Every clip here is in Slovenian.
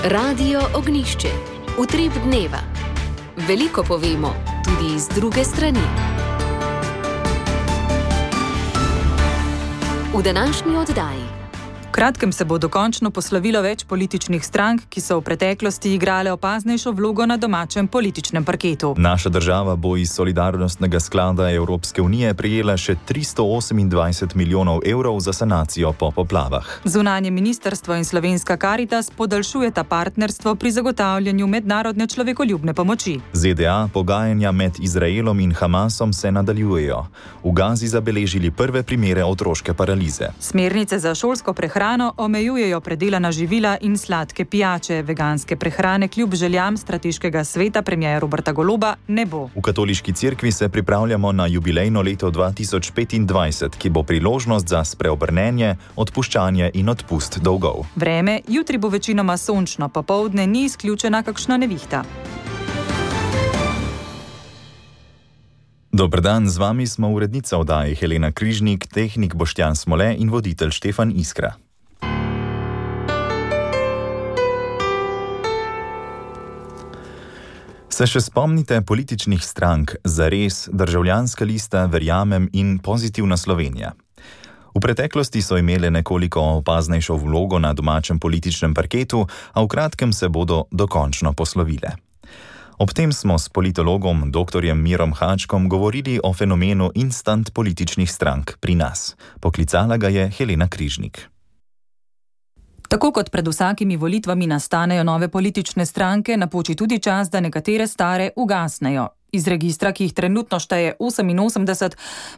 Radio Ognišče. Utrip dneva. Veliko povemo, tudi iz druge strani. V današnji oddaji. V kratkem se bo dokončno poslovilo več političnih strank, ki so v preteklosti igrale opaznejšo vlogo na domačem političnem parketu. Naša država bo iz solidarnostnega sklada Evropske unije prejela še 328 milijonov evrov za sanacijo po poplavah. Zunanje ministrstvo in Slovenska Karitas podaljšujeta partnerstvo pri zagotavljanju mednarodne človekoljubne pomoči. ZDA pogajanja med Izraelom in Hamasom se nadaljujejo. V Gazi zabeležili prve primere otroške paralize. Smernice za šolsko prehrano omejujejo predelana živila in sladke pijače. Veganske prehrane kljub željam strateškega sveta premierja Roberta Goloba ne bo. V katoliški cerkvi se pripravljamo na jubilejno leto 2025, ki bo priložnost za spreobrnenje, odpuščanje in odpust dolgov. Vreme, jutri bo večinoma sončno, popoldne ni izključena kakšna nevihta. Dober dan, z vami smo urednica oddaje Helena Križnik, tehnik Boštjan Smole in voditelj Štefan Iskra. Se še spomnite političnih strank Zares, Državljanska lista, Verjamem in Pozitivna Slovenija? V preteklosti so imele nekoliko opaznejšo vlogo na domačem političnem parketu, a v kratkem se bodo dokončno poslovile. Ob tem smo s politologom dr. Mirom Hačkom govorili o fenomenu instant političnih strank pri nas. Poklicala ga je Helena Križnik. Tako kot pred vsakimi volitvami nastanejo nove politične stranke, napoči tudi čas, da nekatere stare ugasnejo. Iz registra, ki jih trenutno šteje 88,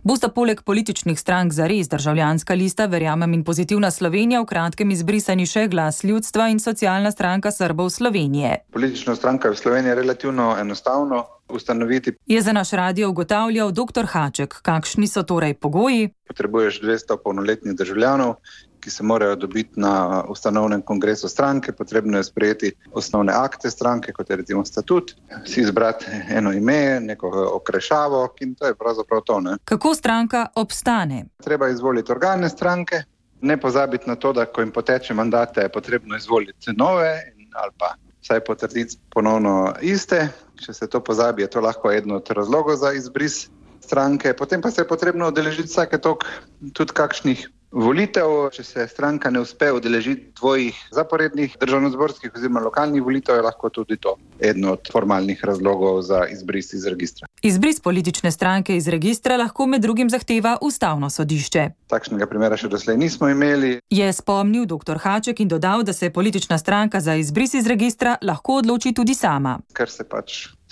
bosta poleg političnih strank Zares, Državljanska lista, Verjamem in Pozitivna Slovenija v kratkem izbrisani še Glas ljudstva in Socialna stranka Srbov Slovenije. Politična stranka v Sloveniji je relativno enostavno ustanoviti. Je za naš radio ugotavljal dr. Haček. Kakšni so torej pogoji? Potrebuješ 200 polnoletnih državljanov, ki se morajo dobiti na ustanovnem kongresu stranke. Potrebno je sprejeti osnovne akte stranke, kot je recimo statut, si izbrati eno ime, neko okrešavo in to je pravzaprav to. Kako stranka obstane? Treba izvoliti organe stranke, ne pozabiti na to, da ko jim poteče mandate, je potrebno izvoliti nove ali pa vsaj potrditi ponovno iste. Če se to pozabi, je to lahko eden od razlogov za izbris stranke. Potem pa se je potrebno udeležiti vsake toliko tudi kakšnih volitev. Če se stranka ne uspe udeležiti dvojih zaporednih državnozborskih oziroma lokalnih volitev, je lahko tudi to eden od formalnih razlogov za izbris iz registra. Izbris politične stranke iz registra lahko med drugim zahteva Ustavno sodišče. Takšnega primera še doslej nismo imeli. Je spomnil dr. Haček in dodal, da se politična stranka za izbris iz registra lahko odloči tudi sama. Ker se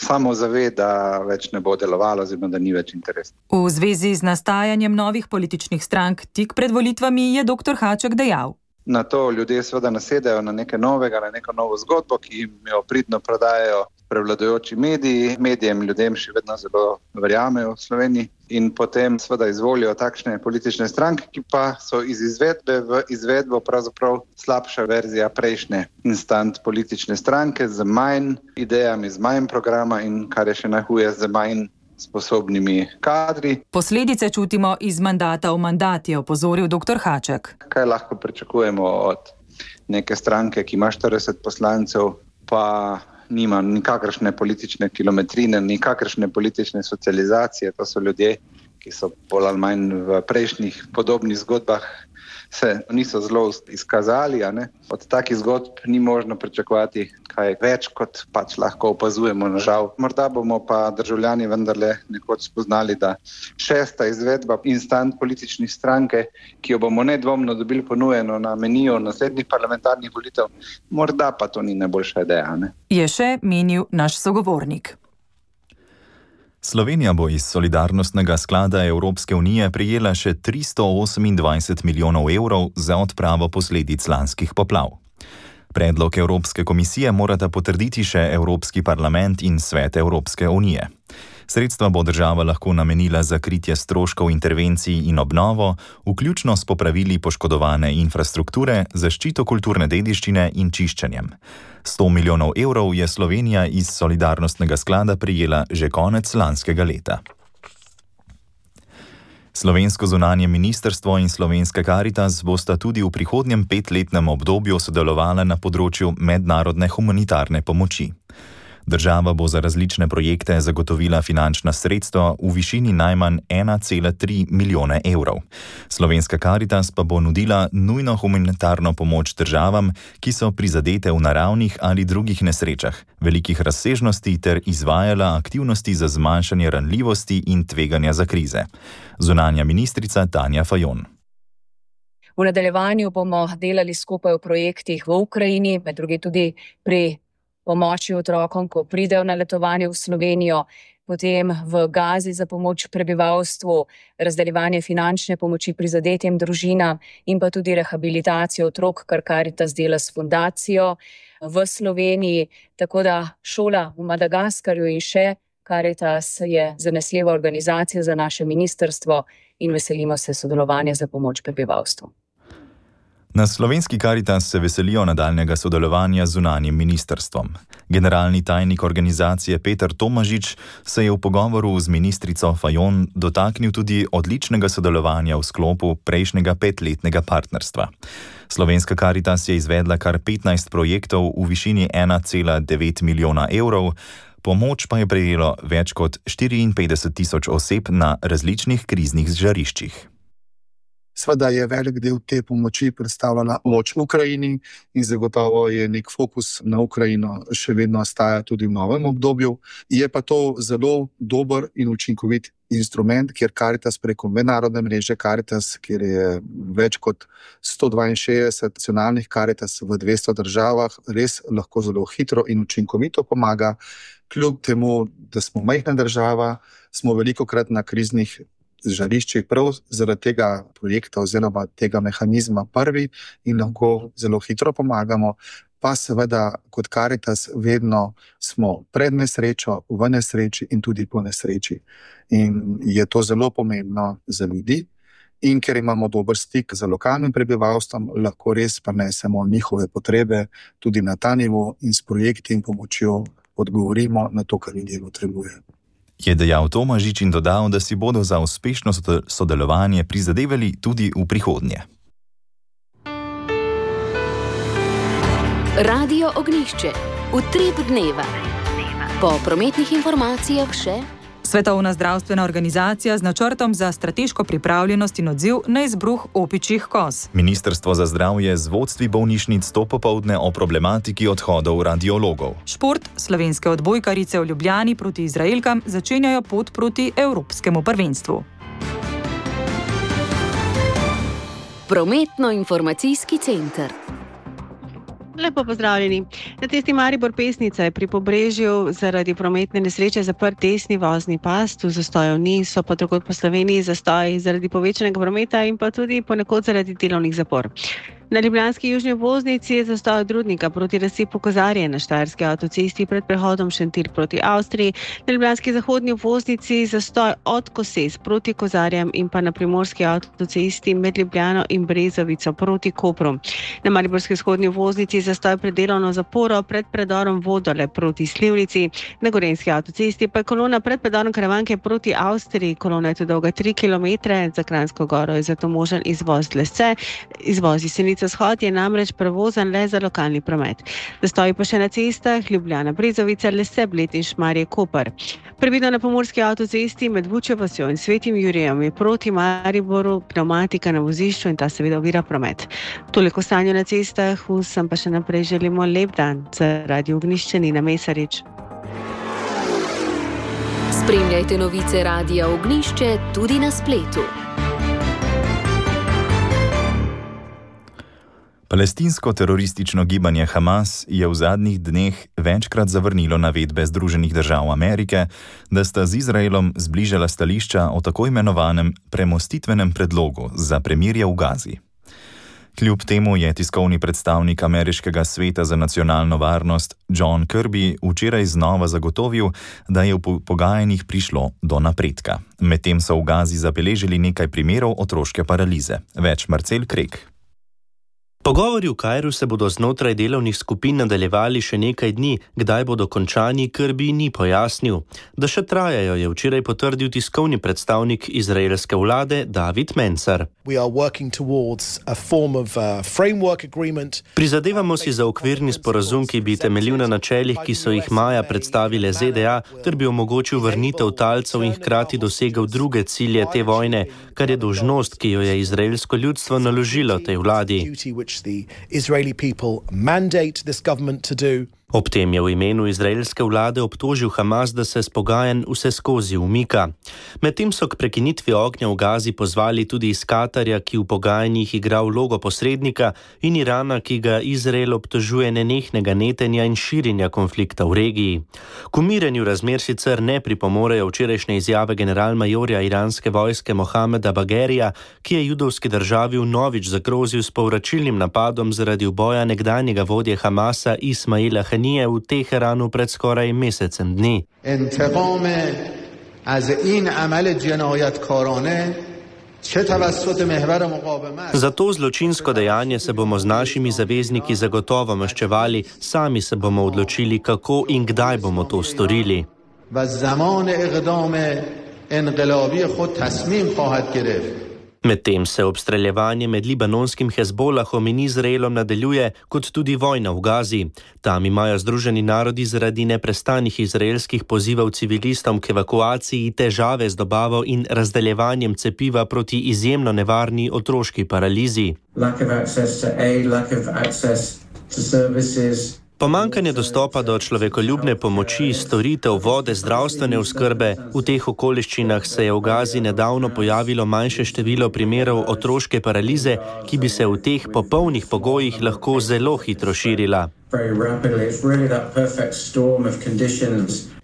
samo zave, da več ne bo delovalo oziroma da ni več interesa. V zvezi z nastajanjem novih političnih strank tik pred volitvami je dr. Haček dejal. Na to ljudje seveda nasedajo na nekaj novega, na neko novo zgodbo, ki jim jo pridno prodajajo prevladujoči mediji. Medijem ljudem še vedno zelo verjamejo v Sloveniji in potem seveda izvolijo takšne politične stranke, ki pa so iz izvedbe v izvedbo pravzaprav slabša verzija prejšnje instant politične stranke z manj idejami, z manj programa in kar je še najhuje, z manj sposobnimi kadri. Posledice čutimo iz mandata v mandat, je opozoril dr. Haček. Kaj lahko pričakujemo od neke stranke, ki ima 40 poslancev, pa nima nikakršne politične kilometrine, nikakršne politične socializacije. To so ljudje, ki so bolj ali manj v prejšnjih podobnih zgodbah se niso zelo izkazali. Od takih zgodb ni možno pričakovati kaj več, kot lahko opazujemo, nažal. Morda bomo pa državljani vendarle nekoč spoznali, da šesta izvedba instant političnih stranke, ki jo bomo nedvomno dobili ponujeno na meniju naslednjih parlamentarnih volitev, morda pa to ni najboljša ideja. Je še menil naš sogovornik. Slovenija bo iz solidarnostnega sklada Evropske unije prejela še 328 milijonov evrov za odpravo posledic lanskih poplav. Predlog Evropske komisije morata potrditi še Evropski parlament in Svet Evropske unije. Sredstva bo država lahko namenila za kritje stroškov intervencij in obnovo, vključno s popravili poškodovane infrastrukture, zaščito kulturne dediščine in čiščenjem. 100 milijonov evrov je Slovenija iz solidarnostnega sklada prejela že konec lanskega leta. Slovensko zunanje ministrstvo in Slovenska Karitas bosta tudi v prihodnjem 5-letnem obdobju sodelovala na področju mednarodne humanitarne pomoči. Država bo za različne projekte zagotovila finančna sredstva v višini najmanj 1,3 milijone evrov. Slovenska Karitas pa bo nudila nujno humanitarno pomoč državam, ki so prizadete v naravnih ali drugih nesrečah, velikih razsežnosti ter izvajala aktivnosti za zmanjšanje ranljivosti in tveganja za krize. Zunanja ministrica Tanja Fajon. V nadaljevanju bomo delali skupaj v projektih v Ukrajini, med drugim tudi pri pomoči otrokom, ko pridejo na letovanje v Slovenijo, potem v Gazi za pomoč prebivalstvu, razdeljevanje finančne pomoči prizadetim družinam in pa tudi rehabilitacijo otrok, kar Karitas dela s fundacijo v Sloveniji. Tako da šola v Madagaskarju in še Karitas je zanesljiva organizacija za naše ministrstvo in veselimo se sodelovanja za pomoč prebivalstvu. Na Slovenski Karitas se veselijo nadaljnega sodelovanja z zunanjim ministrstvom. Generalni tajnik organizacije Peter Tomažič se je v pogovoru z ministrico Fajon dotaknil tudi odličnega sodelovanja v sklopu prejšnjega 5-letnega partnerstva. Slovenska Karitas je izvedla kar 15 projektov v višini 1,9 milijona evrov, pomoč pa je prejelo več kot 54 000 oseb na različnih kriznih žariščih. Sveda je velik del te pomoči predstavljala pomoč v Ukrajini in zagotovo je nek fokus na Ukrajino še vedno ostaja tudi v novem obdobju. Je pa to zelo dober in učinkovit instrument, kjer Karitas preko mednarodne mreže Karitas, kjer je več kot 162 nacionalnih Karitas v 200 državah, res lahko zelo hitro in učinkovito pomaga. Kljub temu, da smo majhna država, smo velikokrat na kriznih žariščih prav zaradi tega projekta oziroma tega mehanizma prvi in lahko zelo hitro pomagamo, pa seveda kot Karitas vedno smo pred nesrečo, v nesreči in tudi po nesreči. In je to zelo pomembno za ljudi in ker imamo dober stik z lokalnim prebivalstvom, lahko res prenesemo njihove potrebe tudi na ta nivo in s projekti in pomočjo odgovorimo na to, kar ljudje potrebujejo. Je dejal Tomažič in dodal, da si bodo za uspešno sodelovanje prizadevali tudi v prihodnje. Radio Ognjišče. Utrip dneva. Po prometnih informacijah še Svetovna zdravstvena organizacija z načrtom za strateško pripravljenost in odziv na izbruh opičjih koz. Ministrstvo za zdravje z vodstvi bolnišnic to popoldne o problematiki odhodov radiologov. Šport, slovenske odbojkarice v Ljubljani proti Izraelkam začenjajo pot proti evropskemu prvenstvu. Prometno-informacijski center. Lepo pozdravljeni. Na cesti Maribor-Pesnica je pri Pobrežju zaradi prometne nesreče zaprt desni vozni pas, tu zastojev ni, so pa drugod po Sloveniji zastoji zaradi povečanega prometa in pa tudi ponekod zaradi delovnih zapor. Na ljubljanski južni obvoznici je zastoj od Rudnika proti razcepu Kozarje, na štajerski avtocesti pred prehodom Šentilj proti Avstriji, na ljubljanski zahodni obvoznici zastoj od Koses proti Kozarjem in pa na primorski avtocesti med Ljubljano in Brezovico proti Kopru. Na mariborski vzhodni obvoznici zastoj pred delovno zaporo pred predorom Vodole proti Slivnici, na gorenjski avtocesti pa je kolona pred predorom Karavanke proti Avstriji, kolona je tu dolga 3 km, za Kranjsko Goro je zato možen izvoz Lesce, izvoz iz Senice Vzhod je namreč prevozan le za lokalni promet. Zastoji pa še na cestah Ljubljana Brezovica, Lese, Bled in Šmarje Koper. Previdno na pomorski avtocesti med Vučjo vasjo in Svetim Jurijem je proti Mariboru pneumatika na vozišču in ta seveda ovira promet. Toliko stanja na cestah, vsem pa še naprej želimo lep dan. Za Radio Ognjišče Nina Mesarič. Spremljajte novice Radia Ognjišče tudi na spletu. Palestinsko teroristično gibanje Hamas je v zadnjih dneh večkrat zavrnilo navedbe Združenih držav Amerike, da sta z Izraelom zbližala stališča o tako imenovanem premostitvenem predlogu za premirje v Gazi. Kljub temu je tiskovni predstavnik Ameriškega sveta za nacionalno varnost John Kirby včeraj znova zagotovil, da je v pogajanjih prišlo do napredka. Medtem so v Gazi zabeležili nekaj primerov otroške paralize. Več Marcel Krek. Pogovori v Kairu se bodo znotraj delovnih skupin nadaljevali še nekaj dni, kdaj bodo končani, Kirby ni pojasnil. Da še trajajo, je včeraj potrdil tiskovni predstavnik izraelske vlade David Mencer. Prizadevamo si za okvirni sporazum, ki bi temeljil na načelih, ki so jih maja predstavile ZDA, ter bi omogočil vrnitev talcev in hkrati dosegel druge cilje te vojne, kar je dolžnost, ki jo je izraelsko ljudstvo naložilo tej vladi. The Israeli people mandate this government to do. Ob tem je v imenu izraelske vlade obtožil Hamas, da se s pogajanj vseskozi umika. Medtem so k prekinitvi ognja v Gazi pozvali tudi iz Katarja, ki v pogajanjih igra vlogo posrednika, in Irana, ki ga Izrael obtožuje nenehnega netenja in širjenja konflikta v regiji. K umirjenju razmer sicer ne pripomorejo včerajšnje izjave generalmajorja iranske vojske Mohameda Bagherija, ki je judovski državi vnovič zagrozil s povračilnim napadom zaradi uboja nekdanjega vodje Hamasa Ismaila Hanije v Teheranu pred skoraj mesecem dni. Za to zločinsko dejanje se bomo z našimi zavezniki zagotovo maščevali, sami se bomo odločili, kako in kdaj bomo to storili. Medtem se obstreljevanje med libanonskim Hezbolahom in Izraelom nadaljuje, kot tudi vojna v Gazi. Tam imajo Združeni narodi zaradi neprestanih izraelskih pozivov civilistom k evakuaciji težave z dobavo in razdeljevanjem cepiva proti izjemno nevarni otroški paralizi. Pomanjkanje dostopa do človekoljubne pomoči, storitev, vode, zdravstvene oskrbe. V teh okoliščinah se je v Gazi nedavno pojavilo manjše število primerov otroške paralize, ki bi se v teh popolnih pogojih lahko zelo hitro širila.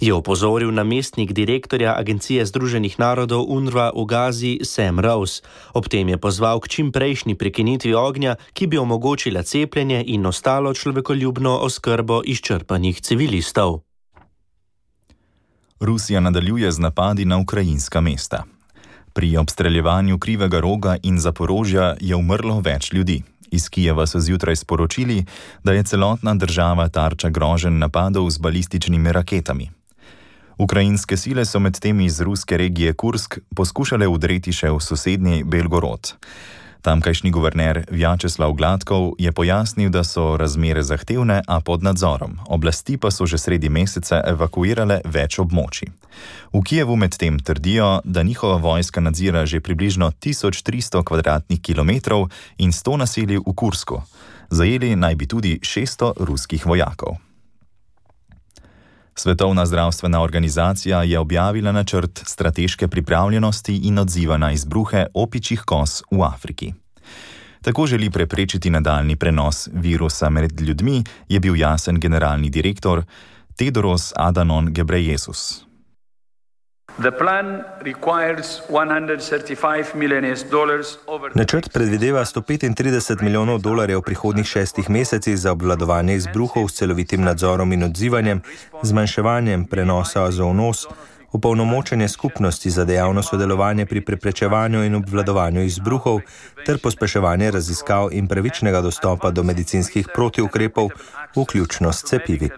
Je opozoril namestnik direktorja Agencije Združenih narodov UNRWA v Gazi Sam Rose. Ob tem je pozval k čimprejšnji prekinitvi ognja, ki bi omogočila cepljenje in ostalo človekoljubno oskrbo izčrpanih civilistov. Rusija nadaljuje z napadi na ukrajinska mesta. Pri obstreljevanju Krivega Roga in Zaporožja je umrlo več ljudi. Iz Kijeva so zjutraj sporočili, da je celotna država tarča groženj napadov z balističnimi raketami. Ukrajinske sile so medtem iz ruske regije Kursk poskušale vdreti še v sosednji Belgorod. Tamkajšnji guverner Vjačeslav Gladkov je pojasnil, da so razmere zahtevne, a pod nadzorom. Oblasti pa so že sredi meseca evakuirale več območij. V Kijevu medtem trdijo, da njihova vojska nadzira že približno 1300 kvadratnih kilometrov in 100 naselij v Kursku. Zajeli naj bi tudi 600 ruskih vojakov. Svetovna zdravstvena organizacija je objavila načrt strateške pripravljenosti in odziva na izbruhe opičjih koz v Afriki. Tako želi preprečiti nadaljnji prenos virusa med ljudmi, je bil jasen generalni direktor Tedros Adhanom Ghebreyesus. Načrt predvideva $135 milijonov v prihodnjih 6 mesecih za obvladovanje izbruhov s celovitim nadzorom in odzivanjem, zmanjševanjem prenosa zoonoz, opolnomočenje skupnosti za dejavno sodelovanje pri preprečevanju in obvladovanju izbruhov ter pospeševanje raziskav in pravičnega dostopa do medicinskih protiukrepov, vključno s cepivi.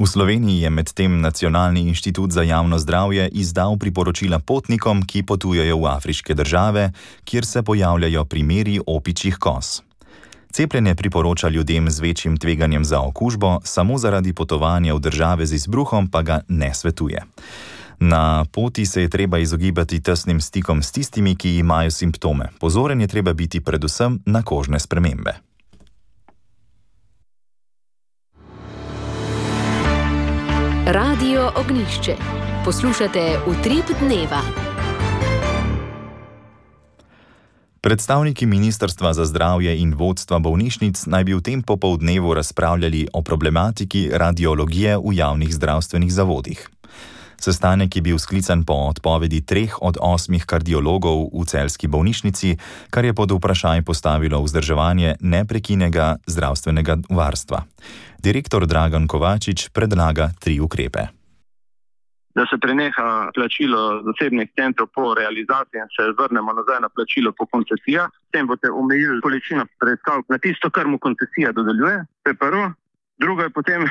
V Sloveniji je medtem Nacionalni inštitut za javno zdravje izdal priporočila potnikom, ki potujejo v afriške države, kjer se pojavljajo primeri opičjih koz. Cepljenje priporoča ljudem z večjim tveganjem za okužbo, samo zaradi potovanja v države z izbruhom pa ga ne svetuje. Na poti se je treba izogibati tesnim stikom s tistimi, ki imajo simptome. Pozoren je treba biti predvsem na kožne spremembe. Radio Ognjišče. Poslušate Utrip dneva. Predstavniki Ministrstva za zdravje in vodstva bolnišnic naj bi v tem popoldnevu razpravljali o problematiki radiologije v javnih zdravstvenih zavodih. Sestanek je bil sklican po odpovedi 3 od 8 kardiologov v celjski bolnišnici, kar je pod vprašaj postavilo vzdrževanje neprekinega zdravstvenega varstva. Direktor Dragan Kovačič predlaga 3 ukrepe. da se preneha plačilo zasebnih centrov po realizaciji in se vrnemo nazaj na plačilo po koncesijah. S tem boste omejili količino preiskav na tisto, kar mu koncesija dodeljuje. To je prvo. Drugo je potem,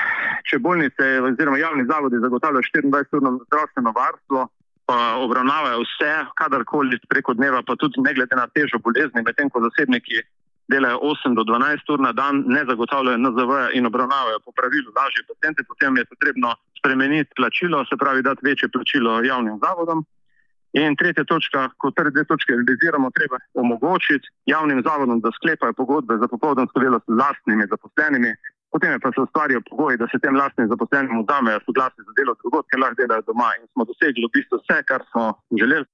če bolnice oziroma javni zavodi zagotavljajo 24-urno zdravstveno varstvo, pa obravnavajo vse, kadarkoli preko dneva, pa tudi ne glede na težo bolezni, medtem ko zasebniki delajo 8 do 12 ur na dan, ne zagotavljajo NZV in obravnavajo po pravilu lažje paciente, potem je potrebno spremeniti plačilo, se pravi dati večje plačilo javnim zavodom. In tretja točka, ko te dve točke realiziramo, treba omogočiti javnim zavodom, da sklepajo pogodbe za popoldansko delo s lastnimi zaposlenimi, potem pa se ustvarijo pogoji, da se tem lastnim zaposlenim vzamejo soglasje za delo drugod, ker lahko delajo doma, in smo dosegli v bistvu vse, kar smo želeli.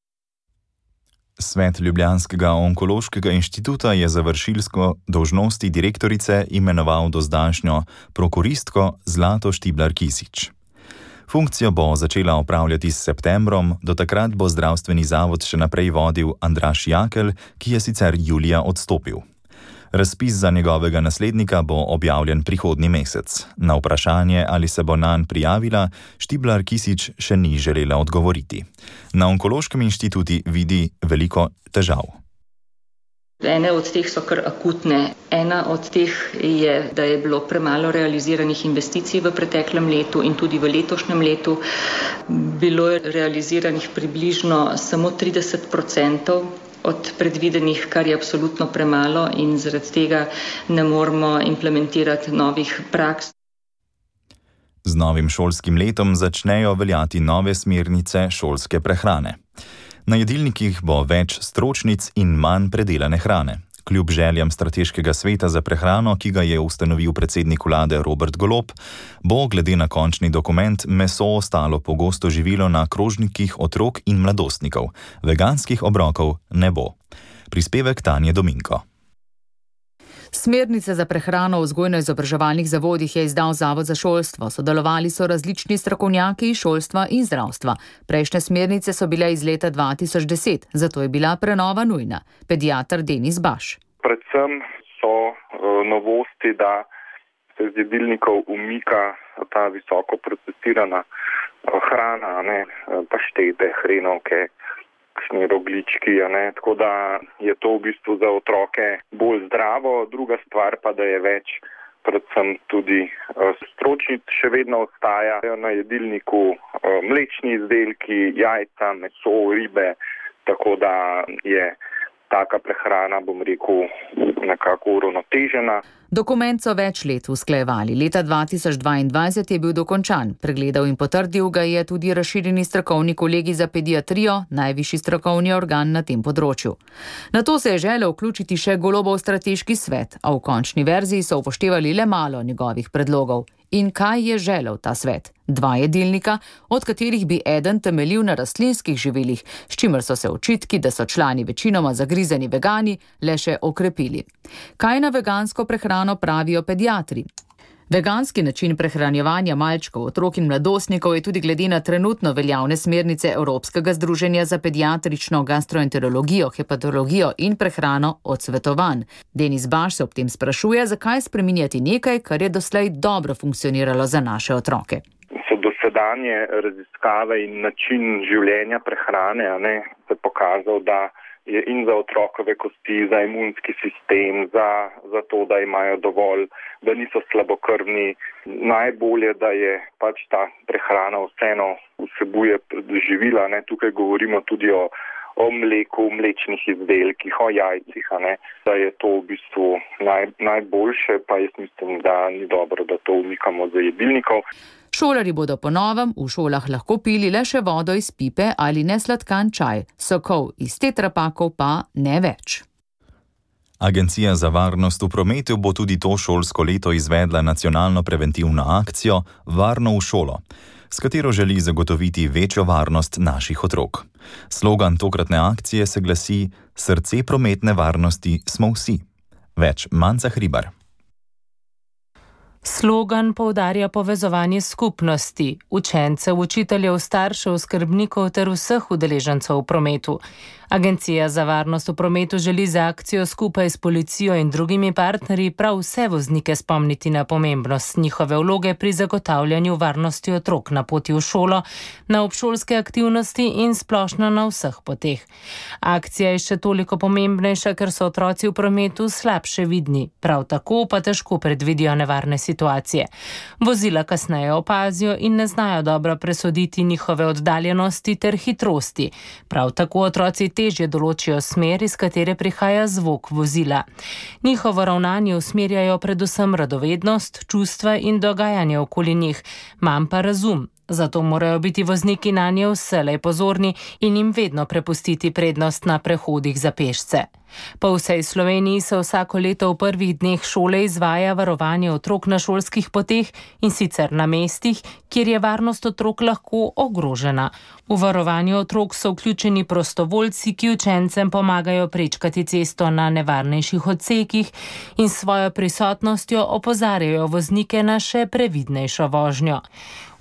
Svet Ljubljanskega onkološkega inštituta je za vršilsko dolžnosti direktorice imenoval dozdajšnjo prokuristko Zlato Štiblar-Kisič. Funkcijo bo začela opravljati s septembrom, do takrat bo zdravstveni zavod še naprej vodil Andraž Jakelj, ki je sicer julija odstopil. Razpis za njegovega naslednika bo objavljen prihodnji mesec. Na vprašanje, ali se bo nanj prijavila, Štiblar-Kisič še ni želela odgovoriti. Na onkološkem inštitutu vidi veliko težav. Ene od teh so kar akutne. Ena od teh je, da je bilo premalo realiziranih investicij v preteklem letu in tudi v letošnjem letu. Bilo je realiziranih približno samo 30% od predvidenih, kar je absolutno premalo in zaradi tega ne moremo implementirati novih praks. Z novim šolskim letom začnejo veljati nove smernice šolske prehrane. Na jedilnikih bo več stročnic in manj predelane hrane. Kljub željam Strateškega sveta za prehrano, ki ga je ustanovil predsednik vlade Robert Golob, bo glede na končni dokument meso ostalo pogosto živilo na krožnikih otrok in mladostnikov. Veganskih obrokov ne bo. Prispevek Tanje Dominko. Smernice za prehrano v vzgojno-izobraževalnih zavodih je izdal Zavod za šolstvo. Sodelovali so različni strokovnjaki iz šolstva in zdravstva. Prejšnje smernice so bile iz leta 2010, zato je bila prenova nujna. Pediater Denis Baš. Predvsem so novosti, da se z jedilnikov umika ta visoko procesirana hrana, paštete, hrenovke, kakšni roglički, tako da je to v bistvu za otroke bolj zdravo. Druga stvar pa, da je več, predvsem tudi stročnic še vedno ostajajo na jedilniku, mlečni izdelki, jajca, meso, ribe, tako da je taka prehrana, bom rekel, nekako uravnotežena. Dokument so več let usklajevali. Leta 2022 je bil dokončan. Pregledal in potrdil ga je tudi razširjeni strokovni kolegij za pediatrijo, najvišji strokovni organ na tem področju. Nato se je želel vključiti še Golobov strateški svet, a v končni verziji so upoštevali le malo njegovih predlogov. In kaj je želel ta svet? 2 jedilnika, od katerih bi eden temeljil na rastlinskih živilih, s čimer so se očitki, da so člani večinoma zagrizeni vegani, le še okrepili. Kaj na vegansko prehrano pravijo pediatri? Veganski način prehranjevanja malčkov, otrok in mladostnikov je tudi glede na trenutno veljavne smernice Evropskega združenja za pediatrično gastroenterologijo, hepatologijo in prehrano odsvetovan. Denis Baš se ob tem sprašuje, zakaj spreminjati nekaj, kar je doslej dobro funkcioniralo za naše otroke. So dosedanje raziskave in način življenja prehrane se pokazal, da je in za otrokove kosti, za imunski sistem, za to, da imajo dovolj, da niso slabokrvni. Najbolje, da je pač ta prehrana vseeno vsebuje živila. Tukaj govorimo tudi o mleku, mlečnih izdelkih, o jajcih, da je to v bistvu najboljše, pa jaz mislim, da ni dobro, da to umikamo za jedilnikov. Šolarji bodo po novem v šolah lahko pili le še vodo iz pipe ali nesladkan čaj, sokov iz tetrapakov pa ne več. Agencija za varnost v prometu bo tudi to šolsko leto izvedla nacionalno preventivno akcijo Varno v šolo, s katero želi zagotoviti večjo varnost naših otrok. Slogan tokratne akcije se glasi: Srce prometne varnosti smo vsi. Več Manca Hribar. Slogan poudarja povezovanje skupnosti, učencev, učiteljev, staršev, skrbnikov ter vseh udeležencev v prometu. Agencija za varnost v prometu želi z akcijo skupaj s policijo in drugimi partnerji prav vse voznike spomniti na pomembnost njihove vloge pri zagotavljanju varnosti otrok na poti v šolo, na obšolske aktivnosti in splošno na vseh poteh. Akcija je še toliko pomembnejša, ker so otroci v prometu slabše vidni, prav tako pa težko predvidijo nevarne situacije. Vozila kasneje opazijo in ne znajo dobro presoditi njihove oddaljenosti ter hitrosti. Prav tako otroci težje določijo smer, iz katere prihaja zvok vozila. Njihovo ravnanje usmerjajo predvsem radovednost, čustva in dogajanje okoli njih, manj pa razum. Zato morajo biti vozniki nanje vselej pozorni in jim vedno prepustiti prednost na prehodih za pešce. Po vsej Sloveniji se vsako leto v prvih dneh šole izvaja varovanje otrok na šolskih poteh in sicer na mestih, kjer je varnost otrok lahko ogrožena. V varovanje otrok so vključeni prostovoljci, ki učencem pomagajo prečkati cesto na nevarnejših odsekih in s svojo prisotnostjo opozarjajo voznike na še previdnejšo vožnjo.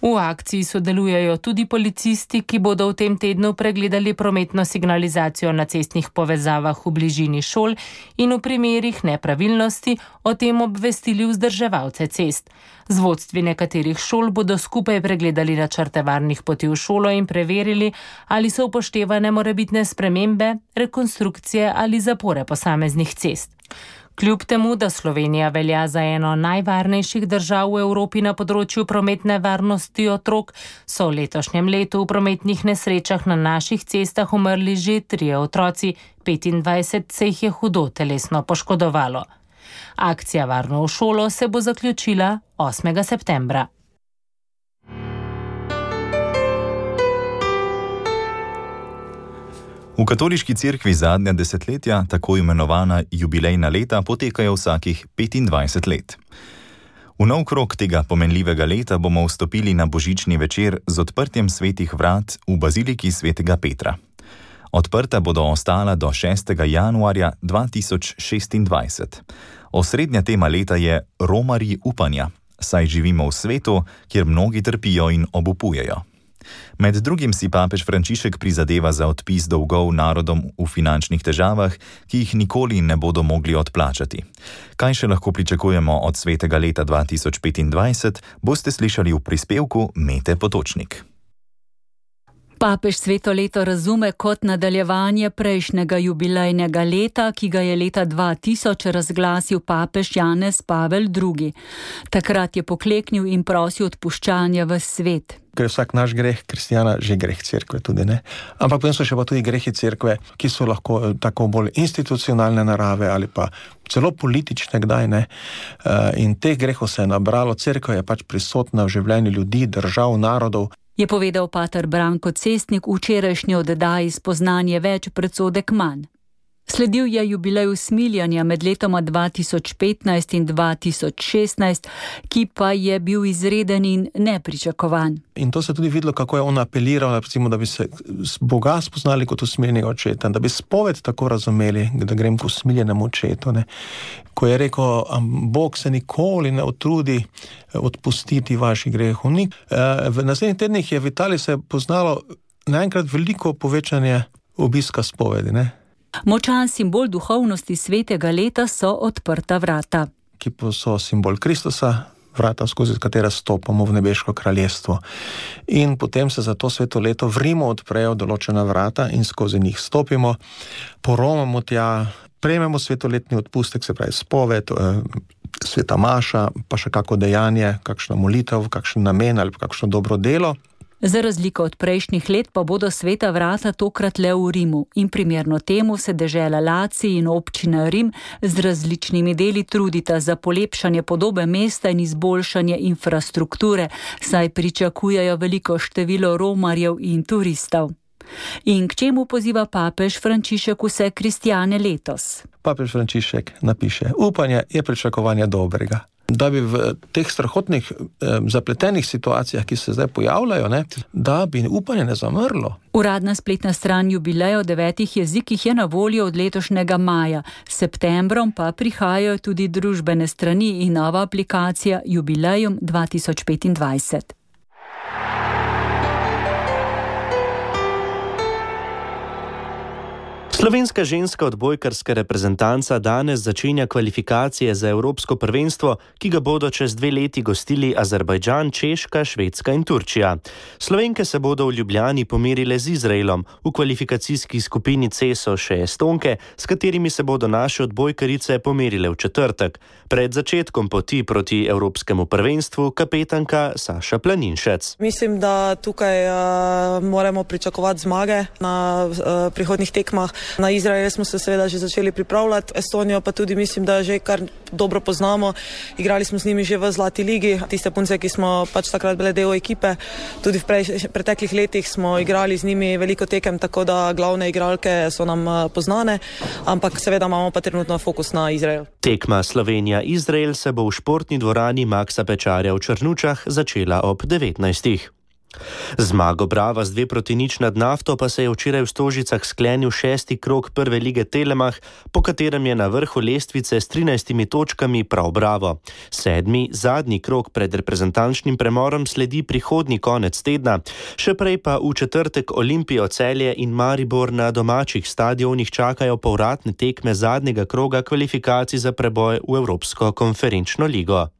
V akciji sodelujejo tudi policisti, ki bodo v tem tednu pregledali prometno signalizacijo na cestnih povezavah v bližini šol in v primerih nepravilnosti o tem obvestili vzdrževalce cest. Z vodstvi nekaterih šol bodo skupaj pregledali načrte varnih poti v šolo in preverili, ali so upoštevane morebitne spremembe, rekonstrukcije ali zapore posameznih cest. Kljub temu, da Slovenija velja za eno najvarnejših držav v Evropi na področju prometne varnosti otrok, so v letošnjem letu v prometnih nesrečah na naših cestah umrli že 3 otroci, 25 se jih je hudo telesno poškodovalo. Akcija Varno v šolo se bo zaključila 8. septembra. V katoliški cerkvi zadnja desetletja, tako imenovana jubilejna leta, potekajo vsakih 25 let. V nov krog tega pomenljivega leta bomo vstopili na božični večer z odprtjem svetih vrat v baziliki svetega Petra. Odprta bodo ostala do 6. januarja 2026. Osrednja tema leta je romarji upanja, saj živimo v svetu, kjer mnogi trpijo in obupujejo. Med drugim si papež Frančišek prizadeva za odpis dolgov narodom v finančnih težavah, ki jih nikoli ne bodo mogli odplačati. Kaj še lahko pričakujemo od svetega leta 2025, boste slišali v prispevku Mete Potočnik. Papež sveto leto razume kot nadaljevanje prejšnjega jubilejnega leta, ki ga je leta 2000 razglasil papež Janez Pavel II. Takrat je pokleknil in prosil odpuščanja v svet. Ker je vsak naš greh kristjana že greh cerkve tudi, ne? Ampak potem so še pa tudi grehi cerkve, ki so lahko tako bolj institucionalne narave ali pa celo politične kdaj, ne? In teh grehov se je nabralo, cerkev je pač prisotna v življenju ljudi, držav, narodov. Je povedal pater Branko Cestnik v včerajšnji oddaji Spoznanje več, predsodek manj. Sledil je jubilej usmiljanja med letoma 2015 in 2016, ki pa je bil izreden in nepričakovan. In to se tudi videlo, kako je on apeliral, recimo, da bi se Boga spoznali kot usmiljenega očeta, da bi spoved tako razumeli, da grem k usmiljenemu očetu, ne. Ko je rekel, Bog se nikoli ne utrudi odpustiti vaših grehov. V naslednjih tednih je v Italiji se poznalo naenkrat veliko povečanje obiska spovedi, ne. Močan simbol duhovnosti svetega leta so odprta vrata. Ki so simbol Kristusa, vrata, skozi katera stopamo v nebeško kraljestvo. In potem se za to sveto leto v Rimu odprejo določena vrata in skozi njih stopimo, poromamo tja, prejmemo svetoletni odpustek, se pravi spoved, sveta maša, pa še kako dejanje, kakšna molitev, kakšen namen ali kakšno dobro delo. Za razliko od prejšnjih let pa bodo sveta vrata tokrat le v Rimu in primerno temu se dežela Lacij in občina Rim z različnimi deli trudita za polepšanje podobe mesta in izboljšanje infrastrukture, saj pričakujejo veliko število romarjev in turistov. In k čemu poziva papež Frančišek vse kristjane letos? Papež Frančišek napiše, upanje je pričakovanje dobrega. Da bi v teh strahotnih, zapletenih situacijah, ki se zdaj pojavljajo, ne, da bi upanje ne zamrlo. Uradna spletna stran jubileja v 9 jezikih je na voljo od letošnjega maja. S septembrom pa prihajajo tudi družbene strani in nova aplikacija Jubilejum 2025. Slovenska ženska odbojkarska reprezentanca danes začenja kvalifikacije za Evropsko prvenstvo, ki ga bodo čez 2 leti gostili Azerbajdžan, Češka, Švedska in Turčija. Slovenke se bodo v Ljubljani pomerile z Izraelom, v kvalifikacijski skupini C so še Estonke, s katerimi se bodo naše odbojkarice pomerile v četrtek. Pred začetkom poti proti Evropskemu prvenstvu kapetanka Saša Planinšec. Mislim, da tukaj moramo pričakovati zmage na prihodnjih tekmah. Na Izrael smo se seveda že začeli pripravljati, Estonijo pa tudi mislim, da že kar dobro poznamo. Igrali smo z njimi že v Zlati ligi, tiste punce, ki smo pač takrat bile del ekipe. Tudi v preteklih letih smo igrali z njimi veliko tekem, tako da glavne igralke so nam poznane, ampak seveda imamo pa trenutno fokus na Izrael. Tekma Slovenija-Izrael se bo v športni dvorani Maksa Pečarja v Črnučah začela ob 19. Zmago Brava z 2-0 nad Nafto pa se je včeraj v Stožicah sklenil 6. krog prve lige Telemach, po katerem je na vrhu lestvice s 13 točkami prav Bravo. 7. zadnji krog pred reprezentančnim premorom sledi prihodnji konec tedna, še prej pa v četrtek Olimpijo Celje in Maribor na domačih stadionih čakajo povratne tekme zadnjega kroga kvalifikacij za preboj v Evropsko konferenčno ligo.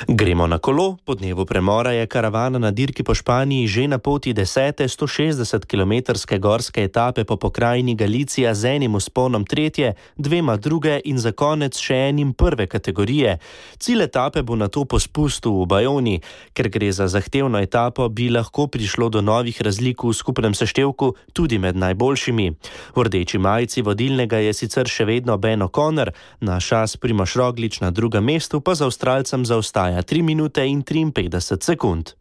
Gremo na kolo. Po dnevu premora je karavana na dirki po Španiji že na poti 10. 160-kilometrske gorske etape po pokrajini Galicija z enim vzponom 3., 2 druge in za konec še enim prve kategorije. Cilj etape bo nato po spustu v Bajoni. Ker gre za zahtevno etapo, bi lahko prišlo do novih razlik v skupnem seštevku tudi med najboljšimi. V rdeči majici vodilnega je sicer še vedno Ben O'Connor, naš as Primož Roglič na drugem mestu pa za Avstralcem zaostaja 3 minute in 53 sekund.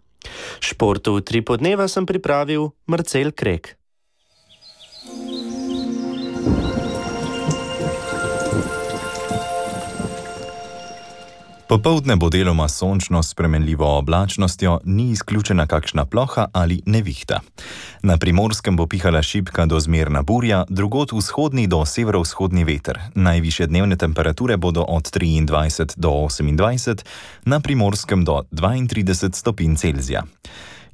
Športu v 3 podneva sem pripravil Marcel Krek. Popoldne bo deloma sončno s spremenljivo oblačnostjo, ni izključena kakšna ploha ali nevihta. Na Primorskem bo pihala šibka do zmerna burja, drugod vzhodni do severovzhodni veter. Najvišje dnevne temperature bodo od 23 do 28, na Primorskem do 32 stopinj Celzija.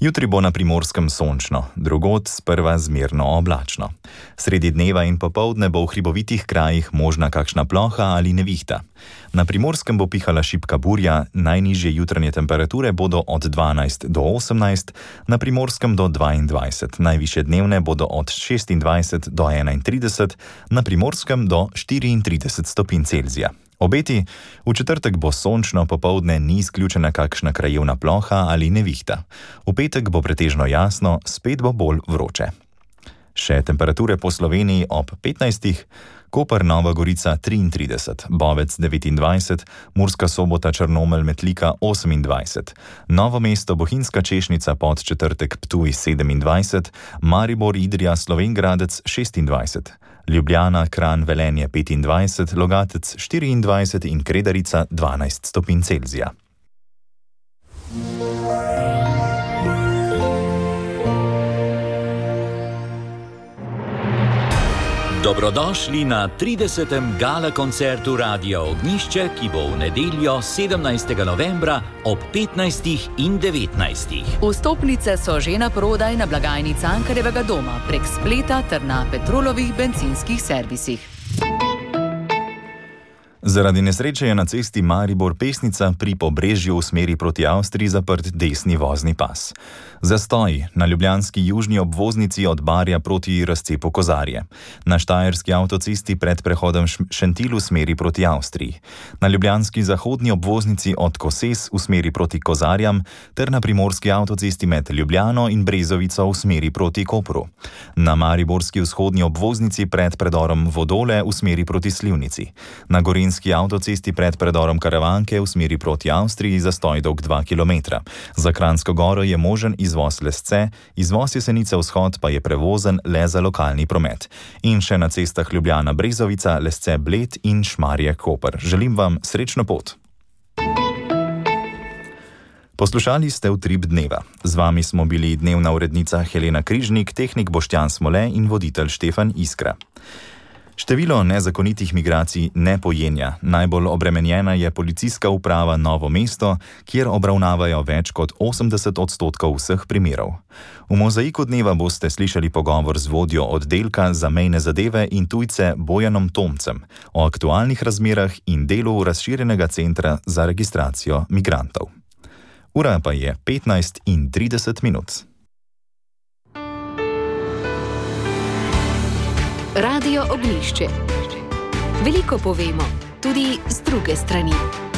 Jutri bo na Primorskem sončno, drugod sprva zmerno oblačno. Sredi dneva in popoldne bo v hribovitih krajih možna kakšna ploha ali nevihta. Na Primorskem bo pihala šibka burja, najnižje jutranje temperature bodo od 12 do 18, na Primorskem do 22, najvišje dnevne bodo od 26 do 31, na Primorskem do 34 stopinj Celzija. Obeti, v četrtek bo sončno, popoldne ni izključena kakšna krajevna ploha ali nevihta. V petek bo pretežno jasno, spet bo bolj vroče. Še temperature po Sloveniji ob 15. Koper, Nova Gorica 33, Bovec 29, Murska Sobota, Črnomelj, Metlika 28, Novo mesto, Bohinjska Češnica, Podčetrtek, Ptuj 27, Maribor, Idrija, Slovenj Gradec 26, Ljubljana, Kranj, Velenje 25, Logatec 24 in Kredarica 12 stopinj Celzija. Dobrodošli na 30. gala koncertu Radia Ognjišče, ki bo v nedeljo 17. novembra ob 15. in 19. Vstopnice so že na prodaj na blagajni Cankarjevega doma prek spleta ter na Petrolovih bencinskih servisih. Zaradi nesreče je na cesti Maribor-Pesnica pri Pobrežju v smeri proti Avstriji zaprt desni vozni pas. Zastoj na ljubljanski južni obvoznici od Barja proti razcepu Kozarje. Na štajerski avtocesti pred prehodom Šentil v smeri proti Avstriji. Na ljubljanski zahodni obvoznici od Koses v smeri proti Kozarjam ter na primorski avtocesti med Ljubljano in Brezovico v smeri proti Kopru. Na mariborski vzhodni obvoznici pred predorom Vodole v smeri proti Slivnici. Na gorenjski avtocesti pred predorom Karavanke v smeri proti Avstriji zastoj dolg 2 km. Za Kranjsko goro je možen izvoz Lesce, izvoz Jesenice vzhod pa je prevozen le za lokalni promet. In še na cestah Ljubljana Brezovica, Lesce Bled in Šmarje Koper. Želim vam srečno pot. Poslušali ste Utrip dneva. Z vami smo bili dnevna urednica Helena Križnik, tehnik Boštjan Smole in voditelj Štefan Iskra. Število nezakonitih migracij ne pojenja. Najbolj obremenjena je policijska uprava Novo mesto, kjer obravnavajo več kot 80% vseh primerov. V mozaiku dneva boste slišali pogovor z vodjo oddelka za mejne zadeve in tujce Bojanom Tomcem o aktualnih razmerah in delu razširjenega centra za registracijo migrantov. Ura pa je 15:30. Radio Ognjišče. Veliko povemo, tudi z druge strani.